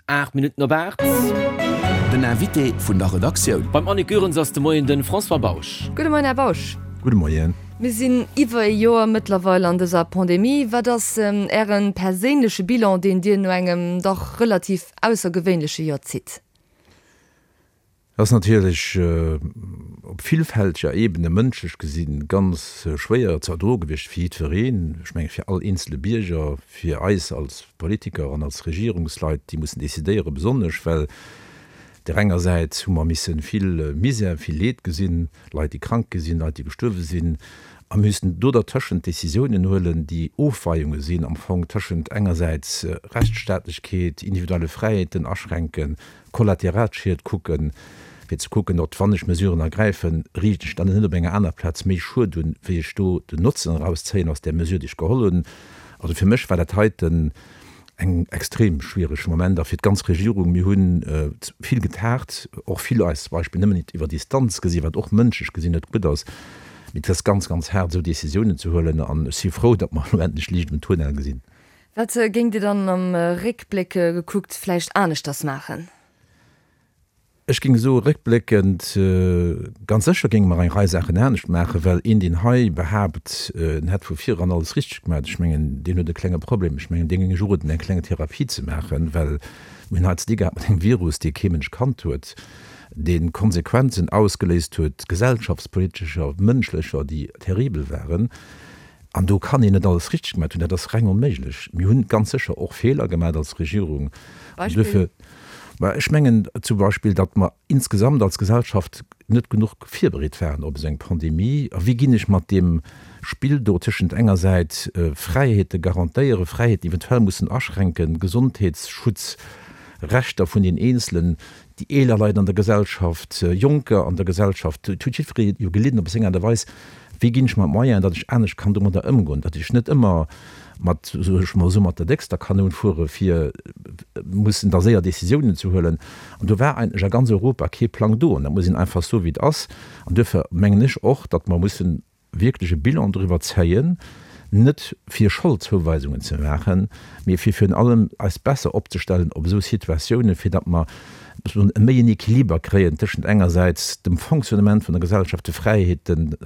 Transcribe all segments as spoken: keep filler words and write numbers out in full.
Aacht Minutten op aacht. Den Invité vun der Redaktioun. Beim Annick Goerens ass de Moien de François Bausch. Gudde Moien, Här Bausch. Gudde Moien. Mir sinn iwwer e Joer mëttlerweil an dëser Pandemie. Wat ass Äre perséinleche Bilan, deen Dir no engem dach relativ aussergewéinleche Joer zitt? Dat ass natierlech op villfälteger Ebene mënschlech gesinn ganz schwéier ze erdroe gewiescht fir jiddwereen, ech menge fir all eenzele Bierger, fir eis als Politiker an als Regierungsleit, déi mussen decidéieren, besonnesch well där enger Säit hu mer misse vill Misär, vill Leed gesinn, Leit, déi krank gi sinn, Leit, déi gestuerwe sinn, a mir müssen do dertëschent Décisiounen huelen, déi Ofweiunge sinn am Fong tëschent engersäits Rechtsstaatlechkeet, individuelle Fräiheeten aschränken, Kollateralschied kucken, fir ze kucken, ob, wann ech Mesuren ergräifen, riicht ech dann net op enger aner Plaz méi Schued un, wéi ech do den Notzen erauszéien aus där Mesure, déi ech geholl hunn. Also fir mech war dat heiten eng extrem schwiereg Moment a fir d'ganz Regierung. Mir hunn vill getagt, och vill eis zum Beispill nëmmen iwwer Distanz gesinn, wat och mënschlech gesinn net gutt ass. Mee et ass ganz, ganz haart, esou Décisiounen ze huelen an ech si frou, datt mer elo endlech Liicht um Tunnel gesinn. Wat géingt Dir dann am Réckbléck gekuckt vläicht aneschters maachen? Ech géing soe réckbléckend, ganz sécher géinge mer eng Rei Saachen anescht maachen, well een, deen hei behaapt, en hätt vu vireran alles richteg gemaach, ech mengen, deen huet e klenge Problem. Ech mengen, deem géing ech uroden, eng kleng Therapie ze maachen, well mir hunn hei ze di gehat mat engem Virus, dee kee Mënsch kannt huet, dee Konsequenzen ausgeléist huet, gesellschaftspolitescher, mënschlecher, déi terribel waren. An do kann een net alles richteg gemaach hunn, dat ass reng onméiglech. Mir hunn ganz sécher och Feeler gemaach als Regierung. Beispill? Mä ech mengen zum Beispill, datt mer insgesamt als Gesellschaft net genuch virbereet waren op esou eng Pandemie. A wéi ginn ech mat deem Spill do tëschent engersäits Fräiheete garantéieren, Fräiheeten eventuell mussen aschränken, Gesondheetsschutz, Rechter vun den Eenzelen, déi eeler Leit an der Gesellschaft, Jonker an der Gesellschaft, et huet jiddweree jo gelidden op seng Aart a Weis, wéi ginn ech mer d'Moyenen, datt ech anescht kann domadder ëmgoen, datt ech net ëmmer mat, soe ech mol esou, mat der déckster Kanoun fuere fir mussen da séier Décisiounen ze huelen. An do war eigentlech a ganz Europa kee Plang do. An dat muss een einfach soen, wéi et ass. An duerfir mengen ech och, datt mer mussen wierklech e Bilan doriwwer zéien, net fir Scholdzouweisungen ze maachen, mee fir virun allem eis besser opzestellen op esou Situatiounen, fir datt mer méi en Equiliber kréien tëschent engersäits dem Fonctionnement vun der Gesellschaft, de Fräiheeten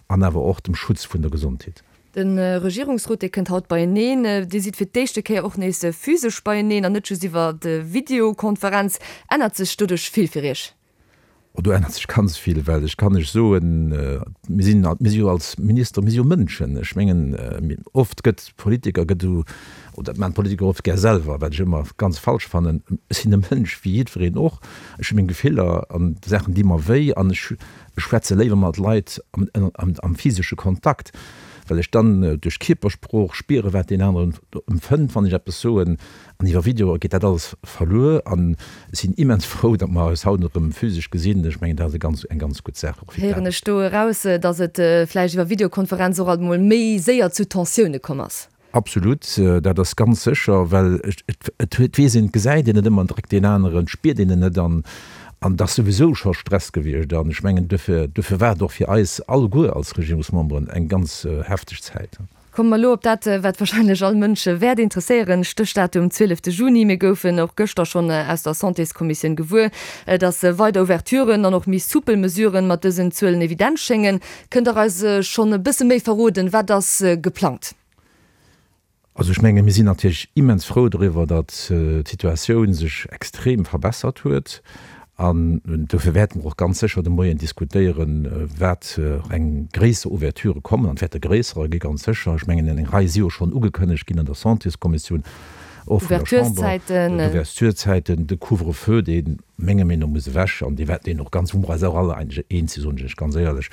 an awer och dem Schutz vun der Gesondheet. De Regierungsrot, dee kënnt haut beieneen. Dir sidd fir d'éischte Kéier och nees physesch beieneen an net just iwwer Videokonferenz. Ännert sech doduerch vill fir Iech? Oh, do ännert sech ganz vill, well ech kann lech soen, mir sinn, mir si jo als Minister, mir si jo Mënschen. Ech mengen, oft gëtt Politiker gëtt esou, oder dat maachen d'Politiker oft gär selwer, wat ech ëmmer ganz falsch fannen, ech sinn e Mënsch wéi jiddwereen och, ech hu meng Gefiller an Saachen di mer wéi an ech schwätze léiwer mat Leit am, am, am physesche Kontakt, well ech dann duerch d'Kierpersprooch spiere wat deen aneren empfënnt, wann ech eppes soen. An iwwer Video geet dat alles verluer. An ech sinn immens frou, datt mer eis haut erëm physesch gesinn. Ech mengen, dat ass e ganz, eng ganz gutt Saach och fir d'Aarbecht. Héieren ech do eraus, datt et vläicht iwwer Videokonferenz och alt emol méi séier zu Tensioune komm ass? Absolut, dat ass ganz sécher, well et huet, weess een, et gesäit een net ëmmer direkt deen aneren, et spiert een en net an an et ass souwisou scho Stress gewiescht. An ech mengen, duerfir, duerfir war et och fir eis alleguer als Regierungsmemberen eng ganz hefteg Zäit. Komme mer elo op dat, wat wahrscheinlech all Mënsch wäert interesséieren, Stéchdatum zwielefte Juni. Mir goufen och gëschter schonn aus der Santéskommissioun gewuer, dass weider Ouverturen an och méi soupel Mesuren mat dësen Zuelen evident schéngen. Kënnt Der eis schonn e bësse méi verroden, wat ass geplangt? Also ech menge mir sinn natierlech immens frou doriwwer, datt d'Situatioun sech extrem verbessert huet. An dofir wäerte mer och ganz sécher de Moien diskutéieren, wat eng gréisser Ouverture kommen. An et wäerte gréisserer gi ganz sécher. Ech mengen, eng Rei si jo schonn ugekënnegt ginn an der Santéskommissioun, och vun der Chamber. D'Ouvertureszäiten, de Couvre-feu, dee menger Meenung no muss ewech an dee wäert deen och ganz, wou mer eis och all eigentlech eens sinn, soen ech lech ganz éierlech.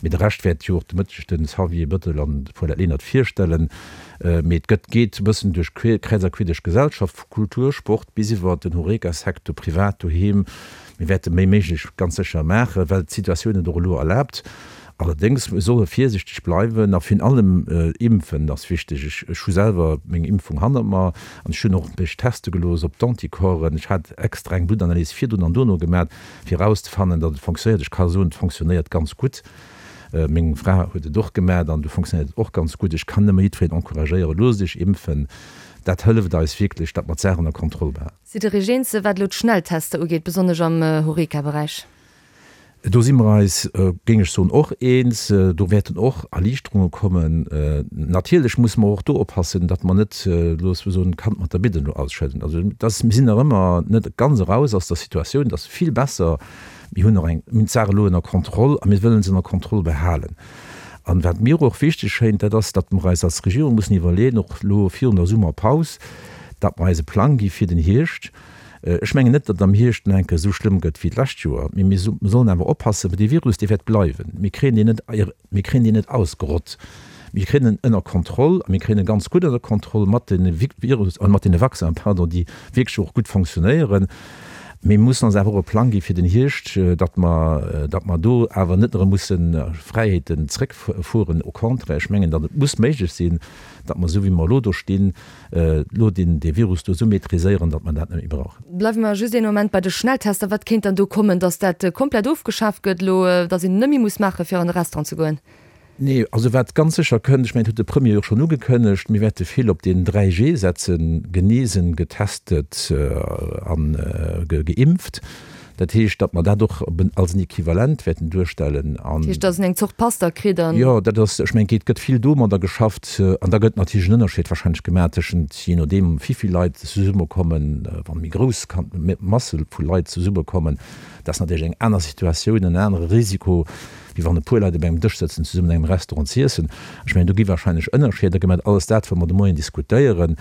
Mee de Rescht wäert jo och de Mëtteg de Xavier Bettel an d'Paulette Lenert virstellen. Mee et gëtt, geet e bëssen duerch kräiz a queer duerch d'Gesellschaft, vu Kultur, Sport bis iwwer den Horeca-Secteur, privat, doheem. Mir wäerte méi méiglech ganz sécher maachen, well d'Situatioun et och elo erlaabt. Allerdéngs, mir solle virsiichteg bleiwen a virun allem impfen ass wichteg. Ech, ech hu selwer meng Impfung hannert mer an ech hunn och mech teste gelooss op d'Anticorpsen. Ech hat extra eng Bluttanalys virdrun an dono gemat, fir erauszefannen, datt et fonctionnéiert. Ech ka soen, et fonctionnéiert ganz gutt. Meng Fra huet et och gemat an do fonctionnéiert et och ganz gutt. Ech kann nëmme jiddwereen encouragéieren, Loosst Iech impfen. Dat hëlleft eis wierklech, datt mer d'Saach ënner Kontroll behalen. Sidd Der Iech eens, wat elo d'Schnelltester ugeet, besonnesch am Horeca-Beräich? Do si mer eis, géing ech soen, och eens. Do wäerten och Erliichterunge kommen. Natierlech musse mer och do oppassen, datt mer net, loosse mer soen, d'Kand mat der Bidden elo ausschëdden. Also dass, mir sinn nach ëmmer net ganz eraus aus der Situatioun. Et ass vill besser. Mir hunn och eng, mir hunn d'Saach elo ënner Kontroll a mir wëllen se ënner Kontroll behalen. An wat mir och wichteg schéint, dat ass, datt mer eis als Regierung mussen iwwerleeën, och elo virun der Summerpaus, datt mer eis e Plang gi fir den Hierscht. Ech mengen net, datt et am Hierscht nach eng Kéier esou schlëmm gëtt wéi d'lescht Joer, mee mir sollen awer oppassen, well dee Virus, dee wäert bleiwen. Mir kréien deen net, mir kréien deen net ausgerott. Mir kréien en ënner Kontroll a mir kréien e ganz gutt ënner Kontroll mat de Virus, mat deene Vaccinen, pardon, déi wierklech och gutt fonctionnéieren. Mee mir mussen ons awer och e Plang gi fir den Hierscht, datt mer, datt mer do awer net erëm musse Fräiheeten zréckfueren. Au contraire, ech mengen, datt et muss méiglech sinn, datt mer, esou wéi mer elo do stinn, elo deen, dee Virus do esou maîtriséieren, datt mer dat net méi brauchen. Bleiwe mer just een Moment bei de Schnelltester. Wat kéint dann do kommen, datt dat komplett ofgeschaaft gëtt elo, datt een net méi muss maachen, fir an e Restaurant ze goen? Nee, also wat ganz sécher kënnt, ech mengen, dat huet de Premier jo och schonn ugekënnegt, mir wäerte vill op deen dräi G setzen, genesen, getestet a geimpft. Dat heescht, datt mer dat och als en Equivalent wäerten duerstellen. Dat heescht, datt een eng Zort Pass da kritt an. Jo, dat ass, ech mengen, et gëtt vill domadder geschafft. An da gëtt natierlech en Ënnerscheed warscheinlech gemaach tëschent, jee nodeem wéi vill Leit zesummekommen, wa méi grouss Masse vu Leit zesummekommen, dat ass natierlech eng aner Situatioun, en anere Risiko, wéi wann e puer Leit op engem Dësch sëtzen, zesummen an engem Restaurant z'iessen. Ech mengen, do gi wahrscheinlech Ënnerscheeder gemaach. Alles dat, wat mer de Moien diskutéieren.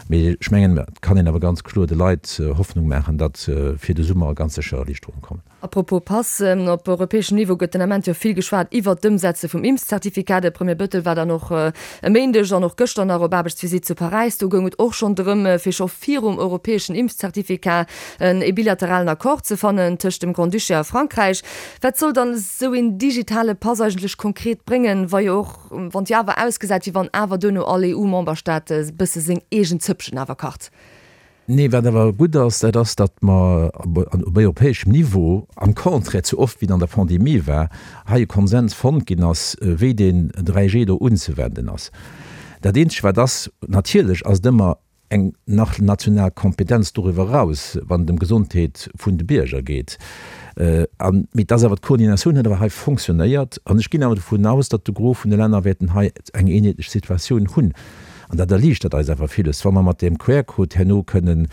Mee ech mengen, et kann een awer ganz kloer de Leit Hoffnung maachen, datt fir de Summer ganz sécher Erliichterunge kommen. A propos Pass, Op europäeschem Niveau gëtt den Ament jo vill geschwat iwwert d'Ëmsetze vum Impfzertifikat. De Premier Bettel war dann och e Méindeg an och gëschter nach op Aarbechtsvisitt zu Paräis. Do goung et och schonn drëm, fir scho virum europäeschen Impfzertifikat e bilateralen Accord ze fannen tëscht dem Grand-Duché a Frankräich. Wat soll dann esou een digitale Pass eigentlech konkret bréngen, wa jo och, wann et jo awer ausgesäit, wéi wann awer duerno all EU-Memberstaat e bësse seng eegen Zëppchen awer kacht? Nee, wat awer gutt ass, dat ass, datt mer op europäeschem Niveau, am Contraire zu oft wéi et an der Pandemie war, hei e Konsens fonnt ginn ass, wéi deen dräi G do unzewenden ass. Dat Eenzegt wat ass, natierlech ass et ëmmer eng nach national Kompetenz doriwwer eraus, wann et ëm d'Gesondheet vun de Bierger geet. An, mee et ass awer, d'Koordinatioun huet awer hei fonctionnéiert an ech ginn awer dovun aus, datt de Gros vun de Länner wäerten hei eng eenheetlech Situatioun hunn. An dat erliichtert eis awer villes, wa mer mat deem QR-Code herno kënnen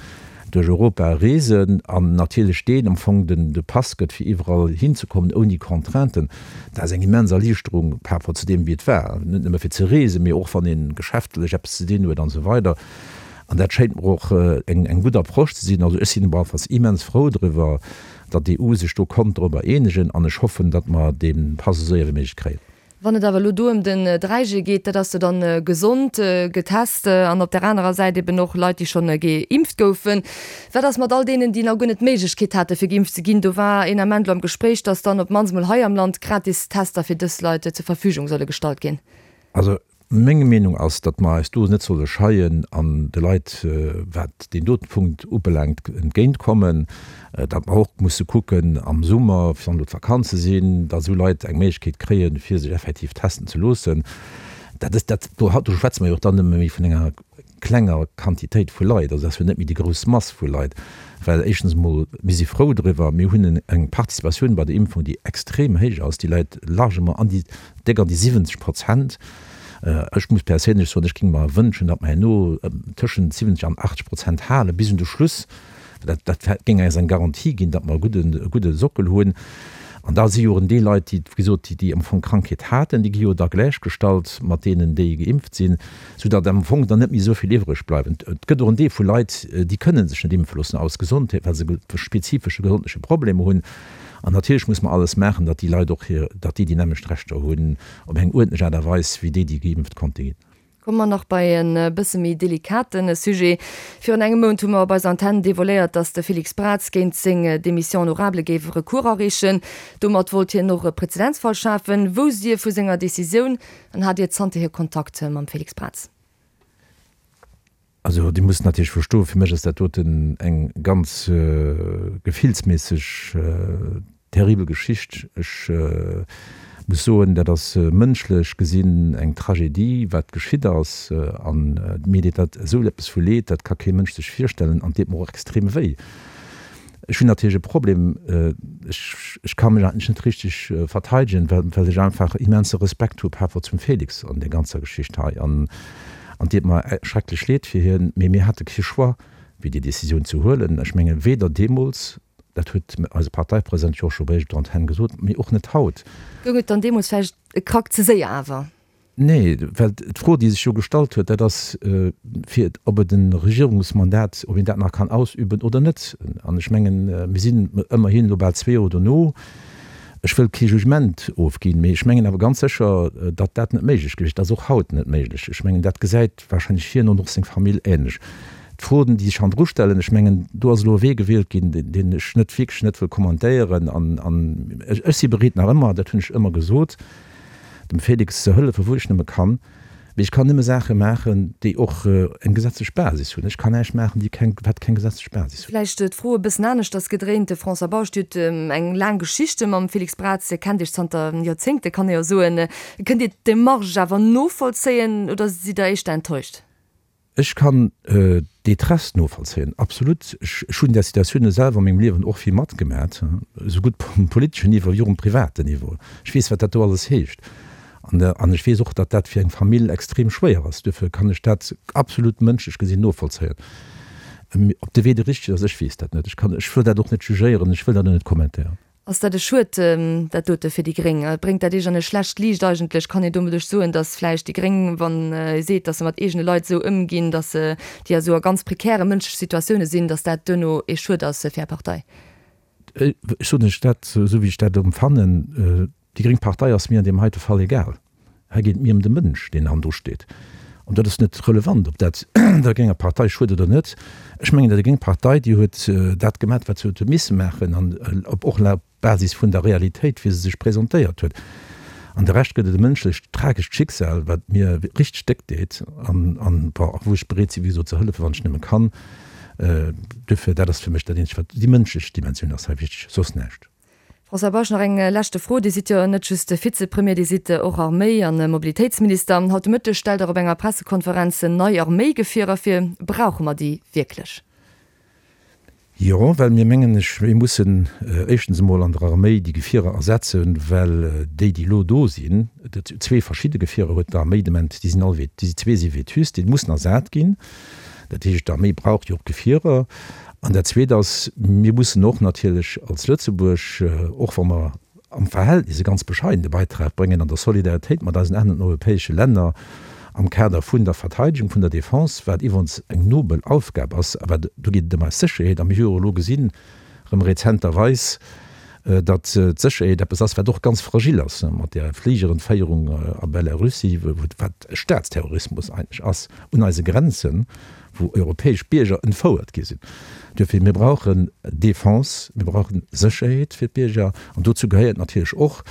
duerch Europa reesen an natierlech deen am Fong den de Pass gëtt, fir iwwerall hinzekommen ouni Contrainten. Dat ass eng immens Erliichterung par rapport zu deem, wéi et war, net nëmme fir ze reesen, mee och wann ee geschäftlech eppes ze dinn huet an esou weider. An dat schéint mer och eng eng gutt Approche ze sinn. Also ech sinn op alle Falls immens frou driwwer, datt d'EU sech do konnt dorobber eenegen an ech hoffen, datt mer dee Pass esou séier wéi méiglech kréien. Wann et awer elo do ëm den dräi G geet, dat ass jo dann gesond, getest an op där anerer Säit eben och Leit, déi schonn geimpft goufen. Wat ass mat all deenen, déi nach guer net d'Méiglechkeet hate fir geimpft ze ginn? Do war een Ament elo am Gespréich, datt dann op d'mannst emol hei am Land gratis Tester fir dës Leit zur Verfügung solle gestallt ginn. Also Meng Meenung ass, datt mer eis do net solle scheien an de Leit, wat deen doten Punkt ubelaangt, entgéint kommen, datt mer och musse kucken am Summer, wann elo d'Vakanze sinn, datt esou Leit eng Méiglechkeet kréien, fir sech effektiv testen ze loossen. Dat ass dat, do do schwätze mer jo och dann nëmme méi vun enger klenger Quantitéit vu Leit, also dat ass jo net méi déi grouss Mass vu Leit, well éischtens emol, mir si frou driwwer, mir hunn eng Participatioun bei der Impfung, déi extrem héich ass, déi läit largement an déi déck an déi siwwenzeg Prozent. Ech muss perséinlech soen, ech géing mer wënschen, datt mer herno tëschent siwwenzeg an achtzeg Prozent hale bis un de Schluss. Dat, dat géing eis eng Garantie ginn, datt mer e gudden, e gudde Sockel hunn. An da si jo och en Deel Leit, déi, wéi gesot, déi, déi am Fong d'Krankheet haten, déi gi jo da gläichgestallt mat deenen, déi geimpft sinn, soudatt am Fong dann net méi esou vill iwwreg bleiwen. Et gëtt och en Deel vu Leit, déi kënne sech net impfe loossen aus Gesondheet, well se spezifesche gesondleche Problemer hunn. An natierlech muss mer alles maachen, datt déi Leit och hir, datt déi déi nämmlecht Rechter hunn op eng uerdentlech Aart a Weis wéi déi, déi geimpft konnte ginn. Komme mer nach bei e bësse méi delikate Sujet. Virun engem Mount hu mer op eiser Antenn devoiléiert, datt de Félix Braz géint seng Démission honorable géif e Recours areechen. Domat wollt hien och e Prezedenzfall schafen. Wousst Dir vu senger Decisioun an hat Dir zanterhier Kontakt mam Félix Braz? Also Dir musst natierlech verstoen, fir mech ass dat doten eng ganz gefillsméisseg terribel Geschicht. Ech Muss soen, dat ass mënschlech gesinn eng Tragedie, wat geschitt ass. An mir deet dat esou eppes vu Leed, dat ka kee Mënsch sech virstellen an et deet mer och extrem wéi. Ech hunn natierlech e Problem, ech, ech ka mech eigentlech net richteg verteidegen, well, well ech einfach immense Respekt hu par rapport zum Félix an där ganzer Geschicht hei. An, an et deet mer schrecklech leed fir hien, mee mir hate kee Choix, wéi déi Decisioun ze huelen. Ech menge weder deemools, dat huet eise Parteipresident jo och scho bréif op der Antenn gesot, mee och net haut. Goung et dann deemools vläicht e Krack ze séier awer? Nee, well d'Fro, déi sech jo gestallt huet, dat ass, fir ob et e Regierungsmandat, ob een dat nach kann ausüben oder net. An ech mengen, mir sinn ëmmerhin elo bal zwee Joer dono. Ech wëll kee Jugement ofginn, mee ech mengen awer ganz sécher, datt dat net méiglech gewiescht ass, och haut net méiglech. Ech mengen, dat gesäit wahrscheinlech hien an och seng Famill ähnlech. D'Froen, déi sech hannendru stellen, ech mengen, do ass elo e Wee gewielt ginn, deen ech net wierklech net wëll kommentéieren. An ech si bereet nach ëmmer, dat hunn ech ëmmer gesot, dem Félix ze hëllefen, wou ech nëmme kann. Mee ech kann nëmme Saache maachen, déi och eng gesetzlech Basis hunn. Ech kann näischt maachen, déi keng, wat keng gesetzlech Basis huet. Vläicht d'Fro e bëssen aneschters gedréint, De François Bausch, Dir hutt eng laang Geschichte mam Félix Braz, Dir kennt Iech zanter Joerzéngte, kann ee jo soen. Kënnt Dir d'Demarche awer novollzéien oder sidd Der éischter enttäuscht? Ech kann d'Détresse novollzéien, absolut. Ech hunn där Situatioune selwer a mengem Liewen och vill matgemat, esou gutt um politeschen Niveau wéi och um privaten Niveau. Ech weess, wat dat do alles heescht. An ech weess och, datt dat fir eng Famill extrem schwéier ass. Duerfir kann ech dat absolut mënschlech gesinn novollzéien. Ob de Wee de richtegen ass, ech weess dat net. Ech kann, ech wëll dat och net jugéieren, ech wëll dat och net kommentéieren. Ass dat e Schued, dat dote fir déi gréng? Bréngt dat Iech an e schlecht Liicht eigentlech? Kann een domadduerch soen, datt vläicht déi gréng, wann ee seet, datt se mat eegene Leit esou ëmginn, datt se, déi a sou a ganz prekäre mënschleche Situatioune sinn, datt dat duerno ee Schued ass fir Är Partei? Ech soen Iech dat esou, wéi ech dat empfannen. Déi gréng Partei ass mir an deem heite Fall egal. Hei geet et mir ëm de Mënsch, deen hannendru steet. An dat ass net relevant, ob dat der grénger Partei schued oder net. Ech mengen, déi gréng Partei, déi huet dat gemaach, wat se huet misse maachen, an op och op Basis vun der Realitéit, wéi se sech presentéiert huet. An de Rescht gëtt et e mënschlecht tragescht Schicksal, wat mir richteg déck deet an, an, bon, wou ech bereet sinn, wéi gesot, ze hëllefen, wann ech nëmme kann. Duerfir, dat ass fir mech dat Eenzegt, wat, déi mënschlech Dimensioun ass hei wichteg, soss näischt. François Bausch, nach eng leschte Fro. Dir sidd jo net just Vizepremier, Dir sidd och Arméi an Mobilitéitsminister. Haut de Mëtteg stellt Der op enger Pressekonferenz nei Arméigefierer vir. Brauche mer déi wierklech? Jo, well mir mengen, ech, mir mussen éischtens emol an der Arméi déi Gefierer ersetzen, well déi, déi elo do sinn, dat zwee verschidde Gefierer huet d'Arméi de Moment, déi sinn all, déi zwee si vétuste, déi mussen ersat ginn. Dat heescht, d'Arméi brauch jo och Gefierer. An dat Zweet ass, mir mussen och natierlech als Lëtzebuerg, och wa mer am Verhältnis e ganz bescheidene Beitrag bréngen an der Solidaritéit mat eisen aneren europäesche Länner am Kader vun der Verteidigung, vun der Defense, wat iwwerens eng nobel Aufgab ass, awer do geet et ëm eis Sécherheet. A mir hu jo elo gesinn, erëm rezenterweis, datt d'Sécherheet eppes ass, wat och ganz fragil ass, mat där Fligerentféierung a Belarussie, wat Staatsterrorismus eigentlech ass, un eise Grenzen, wou europäesch Bierger entfouert gi sinn. Duerfir, mir brauchen Defense, mir brauchen Sécherheet fir d'Bierger. An dozou gehéiert natierlech och,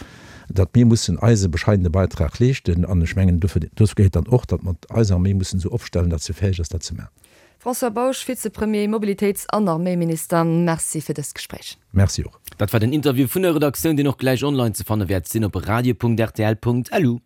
datt mir mussen eise bescheidene Beitrag leeschten. An ech mengen, dofir, dozou gehéiert dann och, datt mer eis Arméi mussen esou opstellen, datt se fäeg ass, dat ze maachen. François Bausch, Vizepremier, Mobilitéits an Arméiminister, Merci fir dëst Gespréich. Merci och. Dat war den Interview vun der Redaktioun, deen och gläich online ze fanne wäert sinn op radio.rtl.lu.